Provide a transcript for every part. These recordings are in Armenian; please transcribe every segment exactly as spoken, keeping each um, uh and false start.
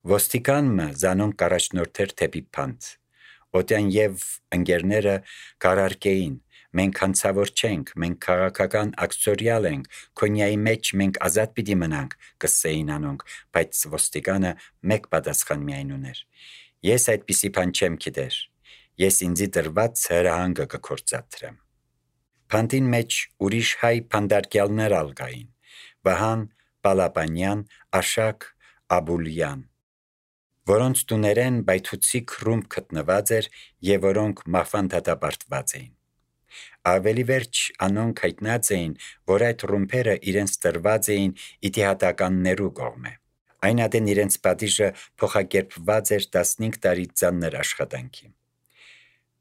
Ոստիկանը զանոնք կառաջնորդեր թեպի փանդ։ Օտյան եւ ընկերները կարարկեին. մենք հանցավոր չենք, մենք քաղաքական ակցորյալ ենք, քոնյայի մեջ մենք ազատ պիտի մնանք, կսեին անոնք, բայց ոստիկանը մեկ պատասխան միայն ուներ. ես այդպիսի բան չեմ գիտեր, ես ինձի դրված հրահանգը կքործադրեմ։ Փանդին մեջ ուրիշ հայ փանդարկյալներ ալգային. Վահան Պալապանյան, Աշակ Աբուլյան, որոնց տուներեն բայթուցիկ ռումբ գտնված էր եւ որոնք մահվան դատապարտված էին։ Ավելի վերջ անոնք հայտնած էին, որ այդ ռումբերը իրենց տրված էին իդիհատականներու կողմէ։ Այն ադեն իրենց պատիժը փոխակերպված էր տասնհինգ տարի ծանր աշխատանքի։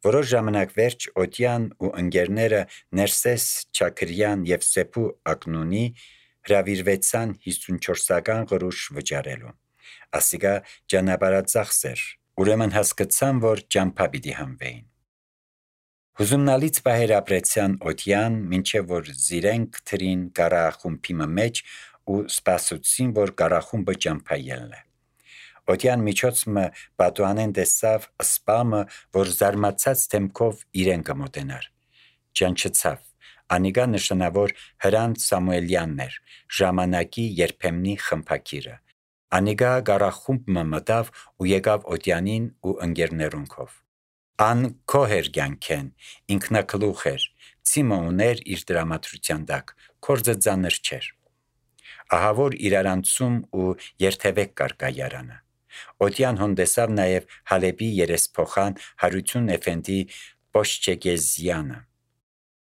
Որոշ ժամանակ վերջ Օտյան ու ընկերները Ներսես Չաքրյան եւ Սեփու Ակնունի հրավիրվեցան հիսունչորսական գրուշ վճարելու։ Ասիկա ճանապարհածախս էր, ուրեմն հասկացան, որ ճամփա պիտի հանվեին։ Հուզումնալից պահեր ապրեցյան Օտյան, մինչև որ զիրենք թրին կառախումբի մեջ ու սպասեցին, որ կառախումբը ճամփա ելնե։ Օտյան միջոցը պատուանեն տեսավ սպամը, որ զարմացած դեմքով իրեն կմոտենար։ Ճանչցավ, անիկա նշանավոր Հրանտ Սամուելյանն էր, ժամանակի երբեմնի խմբակիրը։ Անիկա կառախումբը մտավ ու եկավ Օտյանին ու ընկերներունքով։ Ան քոհեր կյանքեն, ինքնակլուխ էր, ցիմը ուներ իր դրամատրության տակ, կորձը ծանր չէր։ Ահավոր իրարանցում ու երթևեք կար կայարանը։ Օտյան հոնդեսավ նաև Հալեբի երեսփոխան Հարություն Էֆենդի Պոշչեգեզյանը,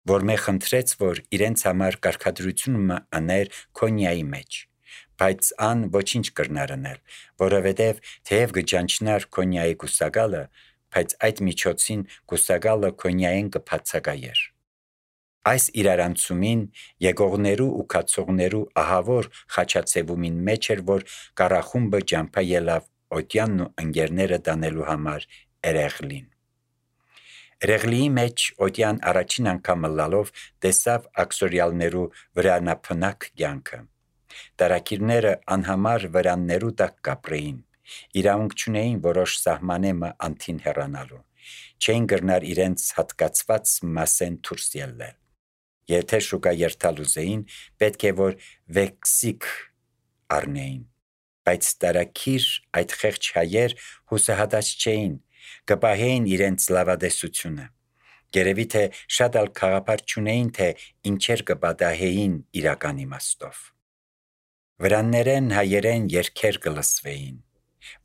որ մե խնդրեց, որ իրենց համար կարգադրությունը աներ Քոնյայի մեջ, բայց ան ոչինչ կրնար անել, որովհետև թեև գճանչնար Քոնյայի կուսակալը, բայց այդ միջոցին կուսակալը Քոնյային կբացակայեր։ Այս իրարանցումին եկողներու ու կացողներու ահավոր խաչացևումին մեջ էր, որ կառախումբը ճամփա ելավ Օտյանն ու ընկերները տանելու համար Էրեղլին։ Էրեղլիի մեջ Օտյան առաջին անգամ լալով տեսավ ակսորյալներու վրանափնակ կյանքը։ Տարակիրները անհամար վրաններու տակ կապրեին, իրավունք չունեին որոշ սահմանեմը անթին հեռանալու, չէին կրնար իրենց հատկացված մասեն դուրս ելնել։ Եթե շուկա երթալ ուզեին, պետք է որ վեքսիկ առնեին, բայց տարակիր այդ խեղճ հայեր հուսահատած չէին, կպահեին իրենց լավադեսությունը։ Գերևի թե շատ ալ խաղապար չունեին, թե ինչեր կպատահեին իրական իմաստով։ Վրաններեն հայերեն երգեր կլսվեին,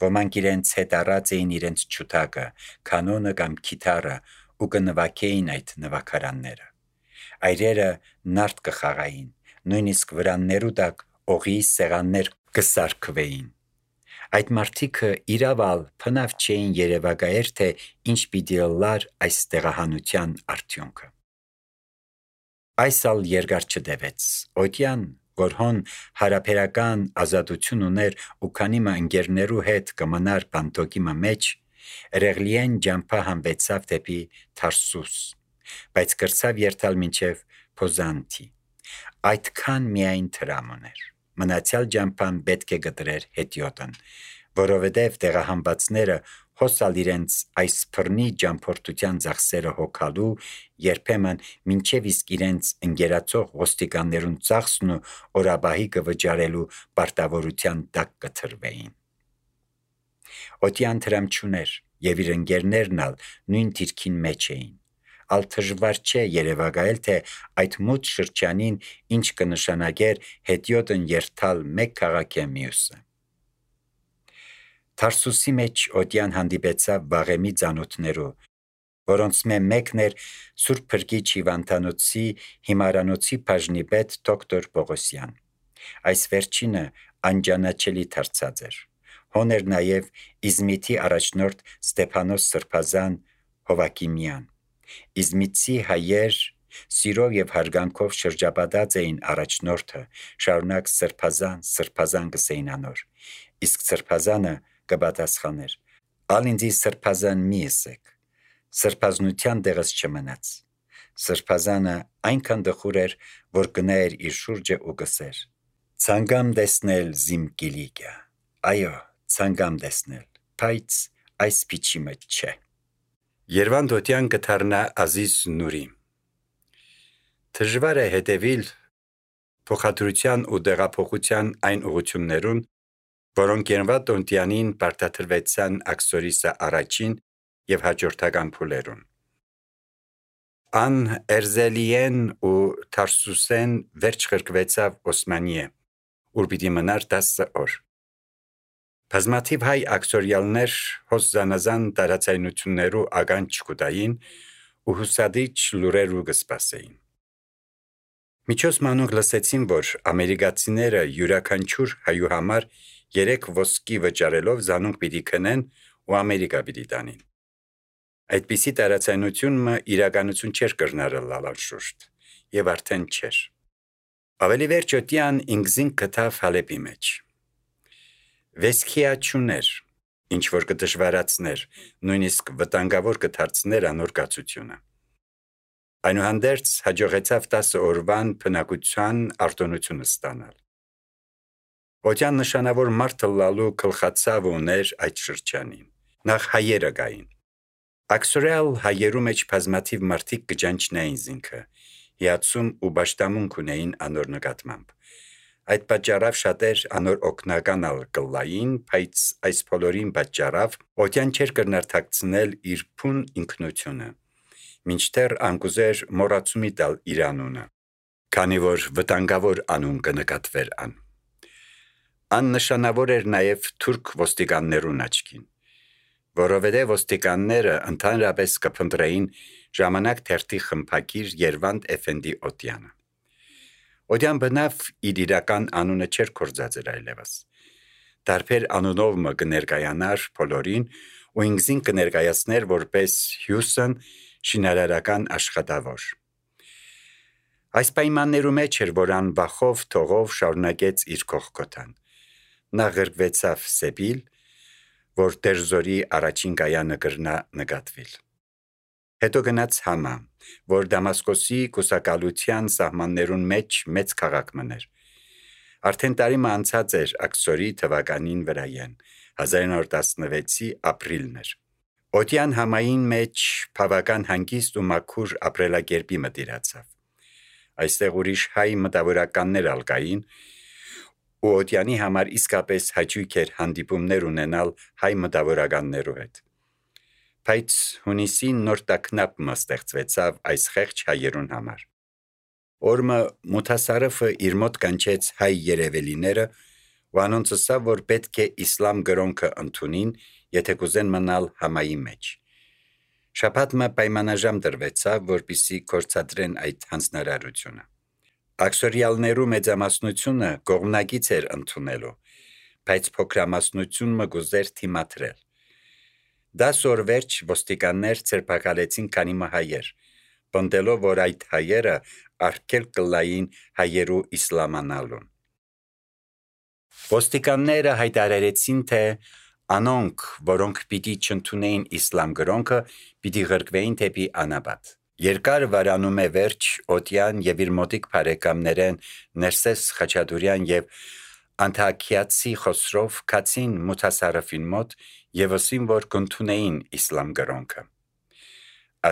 ոմանք իրենց հետ առած էին իրենց չուտակը, կանոնը կամ կիթառը ու կնվագեին այդ նվագարանները։ Այրերը նարդ կխաղային, նույնիսկ վրաններու տակ օղի սեղաններ կսարքվեին։ Այդ մարդիկը իրավալ փնավ չէին երևակայեր, թե ինչ պիտի լար այս տեղահանության արդյունքը։ Այս ալ երկար չդևեց։ Օտյան, որ հոն հարաբերական ազատություն ուներ ու քանիմը ընկերներու հետ կմնար բանտոկի մեջ, Էրեղլիեն ճամփա հանվեցավ դեպի Թարսուս, բայց կրցավ երթալ մինչև Փոզանթի։ Այդքան միայն տրամ ուներ։ Մնացյալ ճամփան պետք է գտրեր հետիոտն, որովհետև տեղահանվածները հոսալ իրենց այս բռնի ճամփորդության ծախսերը հոգալու, երբեմն մինչև իսկ իրենց ընկերացող ոստիկաններուն ծախսն ու օրաբահի կվճարելու պարտավորության տակ կթրվեին։ Օտյան տրամ չուներ, եւ իր ընկերներն ալ նույն դիրքին մեջ էին։ Ալ դժվար չէ երևակայել, թե այդ մութ շրջանին ինչ կնշանակեր հետիոտն երթալ մեկ քաղաքի մյուսը։ Թարսուսի մեջ Օտյան հանդիպեցավ վաղեմի ծանոթներու, որոնց մեկն էր Սուրբ Փրկիչ Հիվանդանոցի հիմարանոցի բաժնի պետ դոկտոր Պողոսյան։ Այս վերջինը անճանաչելի դարձած էր։ Հոն էր նաև Իզմիթի առաջնորդ Ստեփանոս Սրբազան Հովակիմյան։ Իզմիթի հայեր սիրով եւ հարգանքով շրջապատած էին առաջնորդը, շարունակ Սրբազան, Սրբազան գսեին անոր, իսկ Սրբազանը կպատասխաներ. «Ալ ինձի Սրբազան մի ըսեք, սրբազնության տեղս չմնաց»։ Սրբազանը այնքան դխուր էր, որ գնա էր իր շուրջը ու գսեր. «Ցանկամ տեսնել զիմ կիլիկը, այո, ցանկամ տեսնել, բայց այս փիչի մեջ չէ։ Երվանդ օտյան կդառնա Ազիզ Նուրի։ Դժվար է հետևել փոխադրության ու դեղափոխության այն ուղղություններուն, որոնք Երվանդ օտյանին պարտադրվեցան աքսորիսը առաջին եւ հաջորդական փուլերուն։ Ան Էրզելիեն ու Թարսուսեն վերջ խրկվեցավ Օսմանիե, ուր պիտի մնար տասը օր։ Բազմաթիվ հայ աքսորյալներ հոս զանազան տարածայնություններու ականջ կուտային ու հուսադիչ լուրերու կսպասեին։ Միջոց մանուկ լսեցին, որ ամերիկացիները յուրաքանչյուր հայու համար երեք ոսկի վճարելով զանոնք պիտի քնեն ու Ամերիկա պիտի տանին։ Այդպիսի տարածայնությունը իրականություն չէր կրնարել անշուշտ եւ արդեն չէր։ Ավելի վերջ օտյան ինքզին գտավ Հալեպի մեջ։ Վեսքիաչուներ, ինչ որ կդժվարացներ, նույնիսկ վտանգավոր կդարձներ անոր կացությունը։ Այնուհանդերձ հաջողեցավ տասը օրվան բնակության արտոնությունը ստանալ։ Օտյան նշանավոր մարդ լալու գլխացավ ուներ այդ շրջանին։ Նախ հայերը գային։ Աքսորյալ հայերու մեջ բազմաթիվ մարդիկ կճանչնային զինքը, հիացում ու պաշտամունք ունեին անոր նկատմամբ։ Այդ պատճառով շատեր անոր օգնականալ կլային, բայց այս բոլորին պատճառով օտյան չէր կրնար թաքցնել իր փուն ինքնությունը, մինչդեռ անկուզեր մոռացումի տալ իր անունը, քանի որ վտանգավոր անուն կնկատվեր ան։ Ան նշանավոր էր նաև թուրք ոստիկաններուն աչքին, որովհետև ոստիկանները ընդհանրապես կփնտրեին ժամանակ թերթի խմբագիր Երվանդ Էֆենդի օտյանը։ Օտյան բնավ իր իրական անունը չէր կործածեր այլևս։ Տարբեր անունով մը կներկայանար բոլորին ու ինքզին կներկայացներ որպես Հյուսն շինարարական աշխատավոր։ Այս պայմաններու մեջ էր, որ ան վախով թողով շարունակեց իր կողքոտան։ Նա ղրկվեցավ Սեբիլ, որ Տերզորի առաջին կայանը կրնա նկատվիլ։ Հետո գնաց Համա, որ Դամասկոսի կուսակալության սահմաններուն մեջ մեծ քաղաք մներ։ Արդեն տարի մը անցած էր աքսորի թվականին վրայեն, հազար նոր տասնվեցի ապրիլներ։ Օտյան Համային մեջ բավական հանգիստ ու մաքուր ապրելակերպի մտիրացավ։ Այստեղ ուրիշ հայ մտավորականներ ալկային, ու օտյանի համար իսկապես հաճույք էր հանդիպումներ ունենալ հայ մտավորականներու հետ։ Բայց հունիսին նոր տագնապ մը ստեղծվեցավ այս խեղճ հայերուն համար։ Օրմը Մութասարեֆը իր մոտ կանչեց հայ երևելիները ու անոնց ասավ, որ պետք է իսլամ գրոնքը ընդունին, եթե կուզեն մնալ Համայի մեջ։ Շաբաթ մը պայմանաժամ դրվեցավ, որպիսի կորցադրեն այդ հանձնարարությունը։ Աքսորյալներու մեծամասնությունը կողմնակից էր ընդունելու, բայց փոքրամասնությունը գուզեր թիմադրել։ Դաս օր վերջ ոստիկաններ ցերպակալեցին քանի մը հայեր, պնդելով, որ այդ հայերը արգել կլային հայերու իսլամանալուն։ Ոստիկանները հայտարարեցին, թե անոնք, որոնք պիտի չընդունեին իսլամ գրոնքը, պիտի ղրկվեին դեպի անապատ։ Երկար վարանում է վերջ օտյան եւ իր մոտիկ բարեկամներեն Ներսես Խաչատուրյան եւ Անտաքիացի Խոսրով կացին Մութասարեֆին մոտ եւ ասին, որ կընդունեին իսլամ գրոնքը։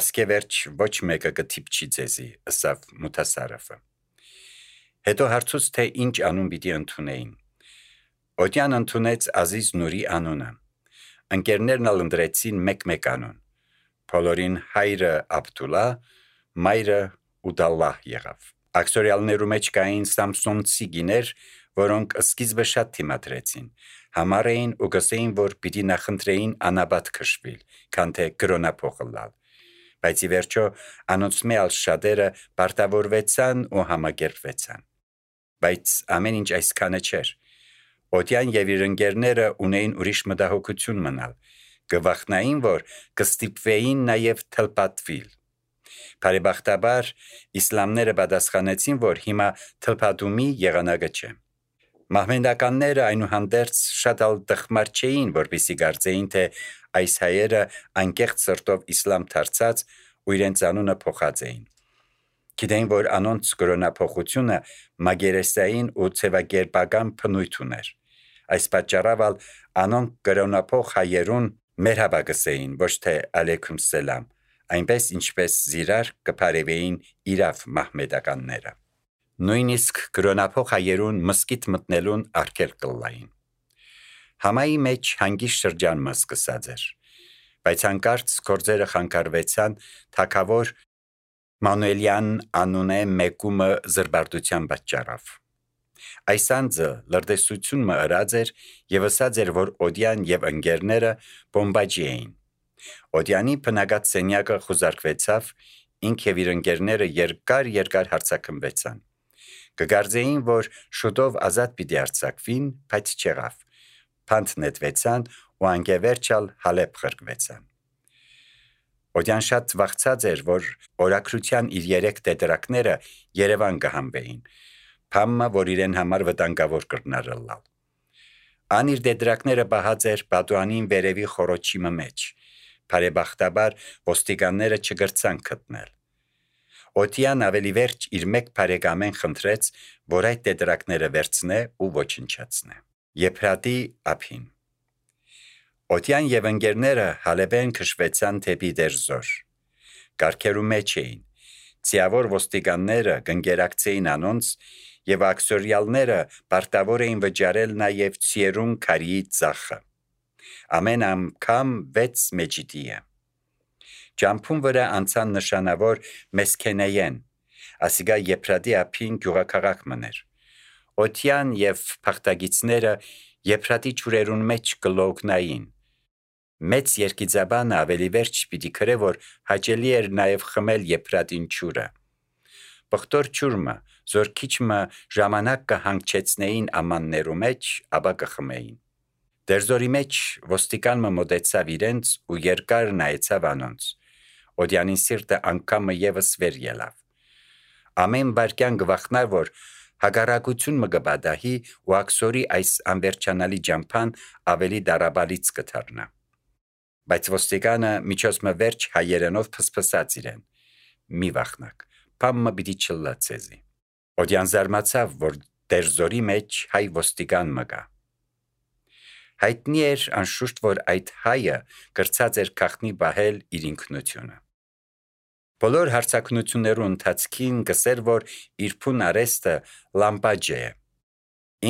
Ասկե վերջ ոչ մեկը կթիպչի ձեզի, ասավ Մութասարեֆը։ Հետո հարցուց, թե ինչ անուն պիտի ընդունեին։ Օտյան ընդունեց Ազիզ Նուրի անունը։ Ընկերներն ալ ընտրեցին մեկ-մեկ անուն։ Բոլորին հայրը Աբդուլա, մայրը Ուդալլահ եղավ։ Աքսորյալներու մեջ կային Սամսոնցի գիներ, որոնք սկիզբը շատ թիմադրեցին, համար էին ու գսեին, որ պիտի նախընտրեին անաբատ քշվել, քան թե գրոնափոխլալ։ Բայց ի վերջո անոնց մեծ շատերը պարտավորվեցան ու համագերբվեցան։ Բայց ամեն ինչ այսքանը չէր։ Օտյան եւ իր ընկերները ունեին ուրիշ մտահոգություն մնալ, գվախնային, որ կստիպվեին նաեւ թլպատվիլ։ Բարեբախտաբար իսլամները պատասխանեցին, որ հիմա թլպատումի եղանակը չէ։ Մահմեդականները այնուհանդերձ շատ ալ տխմար չէին, որպեսզի կարծեին, թե այս հայերը անկեղծ սրտով իսլամ դարձած ու իրենց անունը փոխած էին։ Գիտեին, որ անոնց կրոնափոխությունը մագերեսային ու ցևագերբական բնույթ ուներ։ Այս պատճառով անոնք կրոնափող հայերուն մերհաբա գսեին, ոչ թե ալեյքում սելամ, այնպես ինչպես զիրար կփարեվեին իրավ մահմեդականները։ Նույնիսկ կրոնափող հայերուն մսկիթ մտնելուն արգել կլային։ Համայի մեջ հանգիստ շրջան սկսած էր, բայց հանկարծ գործերը խանգարվեցան թագավոր Մանուելյան անունե մեկումը զրբարտության պատճառով։ Այս անձը լրտեսություն մը ըրած էր եւ ասած էր, որ Օդյան եւ ընկերները բոմբաջի էին։ Օդյանի բնագած սենյակը խուզարկվեցավ, ինք եւ իր ընկերները երկար երկար հարցակմվեցան։ Կգարձեին, որ շուտով ազատ պիտի արձակվին, բայց չեղավ։ Փանթ նետվեցան ու անկևերջալ Հալեբ խրկվեցան։ Օդյան շատ վախցած էր, որ օրակրության իր երեք տետրակները Երևան կհանվեին, փամը, որ իրեն համար վտանգավոր կրնարըլալ։ Ան իր տետրակները բահած էր Բադուանին վերևի խորոչի մեջ, բարեբախտաբար ոստիկանները չգրցան գտնել։ Օդյան ավելի վերջ իր մեկ բարեկամեն խնդրեց, որ այդ տետրակները վերցնե ու ոչնչացնե։ Եփրատի ափին։ Օդյան եւ ընկերները Հալեբեն քշվեցան թեպի Դերզոր։ Կարգերու մեջ էին։ Ցիավոր ոստիկանները կընկերակցեին անոնց եւ աքսորիալները պարտավոր էին վճարել նաեւ ցիերուն քարի ծախը։ Ամեն անգամ վեց մեջիտիը։ Ջամփուն վրա անցան նշանավոր Մեսքենեյեն, ասիգա Եփրատի ափին գյուղաքաղաք մներ։ Օդյան եւ փախտագիցները Եփրատի ճուրերուն մեջ կլոգնային։ Մեծ երկիծաբանը ավելի վերջ պիտի քրե, որ հաճելի էր նաև խմել Եփրատին ճուրը։ Բխտոր ճուրմը, զորքիչմը ժամանակ կհանգչեցնեին ամաններու մեջ, ապա կխմեին։ Դերզորի մեջ ոստիկանը մոտեցավ իրենց ու երկար նայեցավ անոնց։ Օդյանին սիրտը անգամը եւս վեր ելավ։ Ամեն վարքյան գվախնար, որ հագարակություն մը գբադահի ու աքսորի այս անվերջանալի ջամփան ավելի դարաբալից կդառնա։ Բայց ոստիկանը միջոցմը վերջ հայերենով փսփսած իրեն։ Մի վախնակ, փամը պիտի չլա ցեզի։ Օդյան զարմացավ, որ Դերզորի մեջ հայ ոստիկան մը կա։ Հայտնի էր անշուշտ, որ այդ հայը կրծած էր քաղտնի բահել իր ինքնությունը։ Բոլոր հարցակնություններու ընթացքին կսեր, որ իր փուն արեստը լամպաջե է։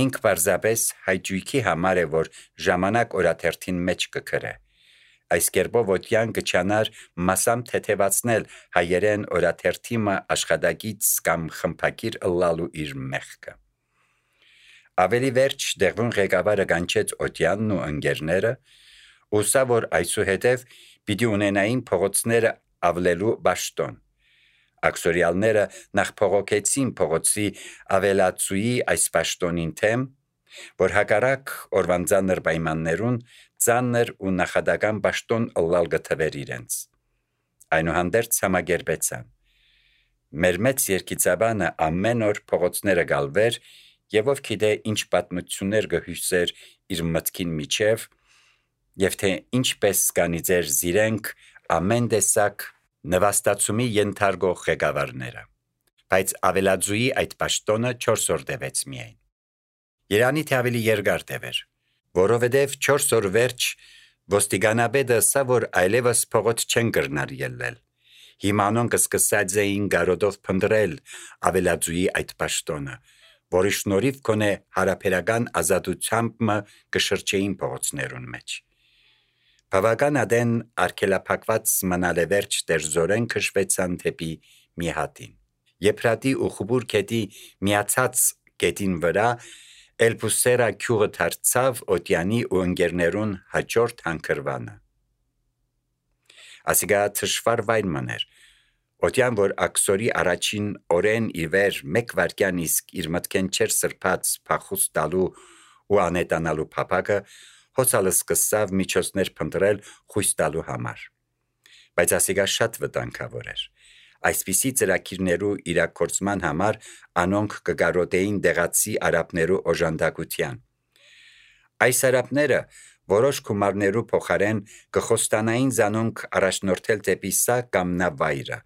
Ինք պարզապես հայջույքի համար է, որ ժամանակ օրաթերթին մեջ կքրե։ Այս կերպով Օդյան կչանար մասամ թեթևացնել հայերեն օրաթերթիմը աշխատակից կամ խմփակիր ըլլալու իր մեղքը։ Ավելի վերջ դեղուն ղեկավարը կանչեց Օդյանն ու ընկերները, ուսա որ այսուհետև պիտի ունենային փողոցները ավլելու պաշտոն։ Աքսորիալները նախ փողոքեցին փողոցի ավելացուի այս պաշտոնին թեմ, որ հակառակ օրվան ծանր պայմաններուն ծանր ու նախադական պաշտոն ըլլալ գտվեր իրենց։ Այնուհանդերձ համագերբեցան։ Մեր մեծ երկիծաբանը ամեն օր փողոցները գալվեր եւ ով գիտե ինչ պատմություններ գհյուսեր իր մտքին միջև եւ թե ինչպես կանի ձեր զիրենք ամեն տեսակ նվաստացումի ենթարկող ղեկավարները, բայց ավելաձուի այդ պաշտոնը չորս օր տևեց միայն։ Երանի թե ավելի երկար տևեր, որովհետև չորս օր վերջ ոստիկանաբեդը սա որ այլևս փողոց չեն կրնար ելնել։ Հիմա անոնք սկսած էին գարոդով փնտրել ավելաձուի այդ պաշտոնը, որի շնորհիվ կոնե հարաբերական ազատությամբ մը կշրջեին փողոցներուն մեջ։ Բավական ադեն արգելափակված մնալ է վերջ Դերզորեն քշվեցան թեպի Միհատին։ Եփրատի ու Խուբուր գետի միացած գետին վրա Էլբուսերա քյուղը դարձավ Օդյանի ու ընկերներուն հաջորդ հանգրվանը։ Ասիգա թշվար վայն մներ։ Օդյան, որ աքսորի առաջին օրեն ի վեր մեկ վարկյան իսկ իր մտքեն չեր սրբած փախուս տալու ու անետանալու փապակը, հոցալը սկսավ միջոցներ փնտրել խույս տալու համար։ Բայց ասիգա շատ վտանգավոր էր։ Այսպիսի ծրագիրներու իրագործման համար անոնք կգարոտեին դեղացի արաբներու օժանդակության։ Այս արաբները որոշ գումարներու փոխարեն կխոստանային զանոնք առաջնորդել դեպի սա կամ նա վայրը,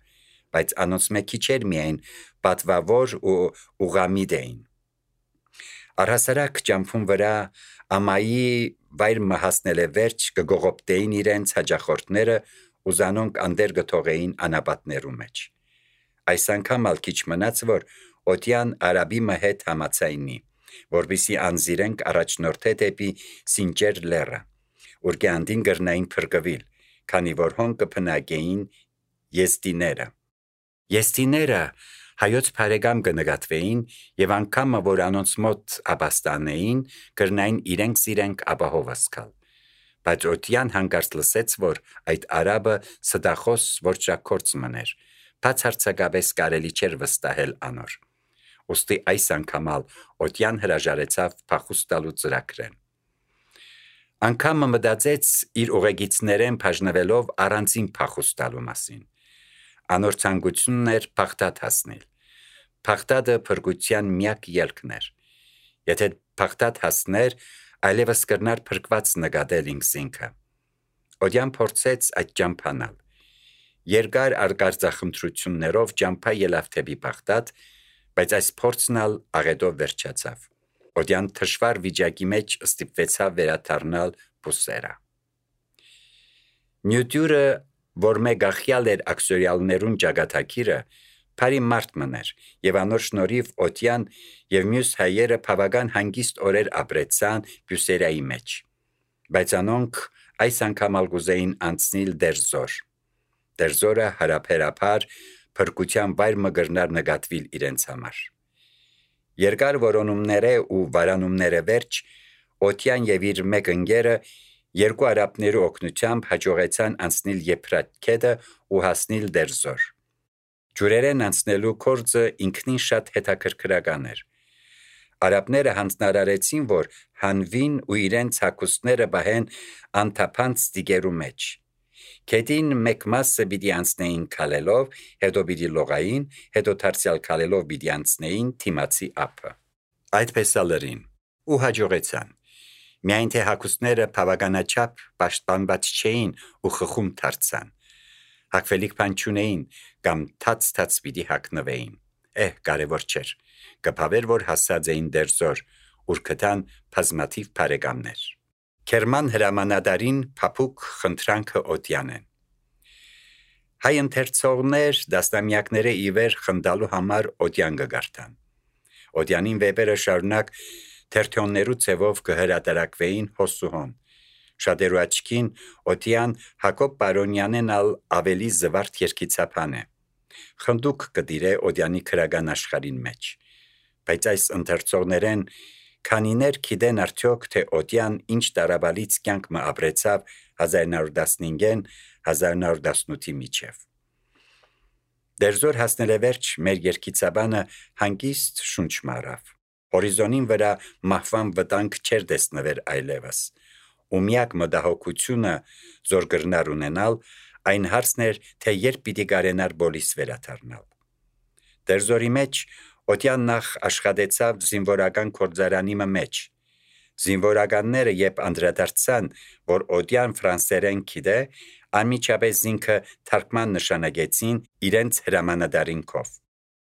բայց անոնց մեկի չէր միայն պատվավոր ու ուղամիդ էին։ Առհասարակ ջամփուն վրա ամայի վայր մահասնել է վերջ կգողոպտեին իրենց հաջախորդները ու զանոնք անդեր գթողեին անապատներու մեջ։ Այս անգամ ալ քիչ մնաց, որ օդյան արաբի հետ համացայնի, որբիսի անզիրենք առաջնորդե դեպի Սինջեր լեռը, ուր գանդին գրնային փրկվել, քանի որ հոն կփնագեին եստիները։ Եստիները հայոց բարեկամ կնկատվեին եւ անգամը որ անոնց մոտ աբաստանեին գրնային իրենք սիրենք ապահովասկալ, բայց օդյան հանգարց լսեց, որ այդ արաբը սդախոս որճակորց մներ, բացարձակապես կարելի չէր վստահել անոր։ Ոստի այս անգամալ օդյան հրաժարեցավ փախուստալու ծրագրեն։ Անգամը մտածեց իր ուղեկիցներեն բաժնվելով առանձին փախուստալու մասին։ Անոր ցանկությունն էր Բաղդադ հասնել։ Բաղդադը փրկության միակ ելքն էր։ Եթե Բաղդադ հասներ, այլևս կրնար փրկված նկատել ինքսինքը։ Օդյան փորձեց այդ ճամփանալ։ Երկար արգարձախնդրություններով ճամփա ելավ դեպի Բաղդադ, բայց այս փորձն ալ աղետով վերջացավ։ Օդյան թշվար վիճակի մեջ ստիպվեցավ վերադառնալ Բուսերա։ Նյություրը, որ մեկ ախյալ էր աքսորիալներուն ճակատագիրը, բարի մարդ մներ, եւ անոր շնորհիվ օդյան եւ մյուս հայերը բավական հանգիստ օրեր ապրեցան Բուսերայի մեջ։ Բայց անոնք այս անգամ ալ գուզեին անցնել Դերզոր։ Դերզորը հարաբերաբար փրկության վայր մգրնար նկատվել իրենց համար։ Երկար որոնումները ու վարանումները վերջ օդյան եւ իր մեկ ընկերը երկու արաբներու օգնությամբ հաջողեցան անցնել Եփրատ ու հասնել Դերզոր։ Ջուրերեն անցնելու կորձը ինքնին շատ հետաքրքրական էր։ Արաբները հանձնարարեցին, որ հանվին ու իրենց հագուստները բահեն անթափանց տիգերու մեջ։ Քեդին մեկ մասը պիտի անցնեին քալելով, հետո պիտի լողային, հետո դարձյալ քալելով պիտի անցնեին թիմացի ափը։ Այդպես ալերին ու հաջողեցան։ Միայն թե հագուստները բավականաչափ պաշտպանված չէին ու խխում դարձան։ Հագվելիք բան չունեին կամ թաց-թաց պիտի հագնվեին։ Էհ, կարևոր չէր։ Կփավեր, որ հասած էին Դերզոր, ուր գտան բազմաթիվ բարեկամներ։ Քերման հրամանատարին փափուկ խնդրանքը օդյանեն։ Հայ ընթերցողներ դաստամյակները ի վեր խնդալու համար օդյան կգարտան։ Օդյանին վեպերը շարունակ թերթոններու ձևով կհրատարակվեին հոսուհոն։ Շատերու աչքին օդյան Հակոբ Պարոնյանեն ալ ավելի զվարթ երկիցապան է։ Խնդուկ կդիրե օդյանի քրական աշխարհին մեջ։ Բայց այս ընթերցողներեն քանիներ գիտեն արդյոք, թե օդյան ինչ տարաբալից կյանք մը ապրեցավ հազար նոր տասնհինգեն հազար նոր տասնութի միջև։ Դերզոր հասնել է վերջ մեր երկիցաբանը հանգիստ շունչ մարավ։ Հորիզոնին վրա մահվան վտանգ չէր տեսնվեր այլևս։ Ու միակ մտահոգությունը զոր գրնար ունենալ այն հարցն էր, թե երբ պիտի կարենար բոլիս վերադառնալ։ Դերզորի մեջ օդյան նախ աշխատեցավ զինվորական գործարանի մեջ։ Զինվորականները երբ անդրադարձան, որ օդյան ֆրանսերեն գիտե, անմիջապես ինքը թարգման նշանակեցին իրենց հրամանատարին կով։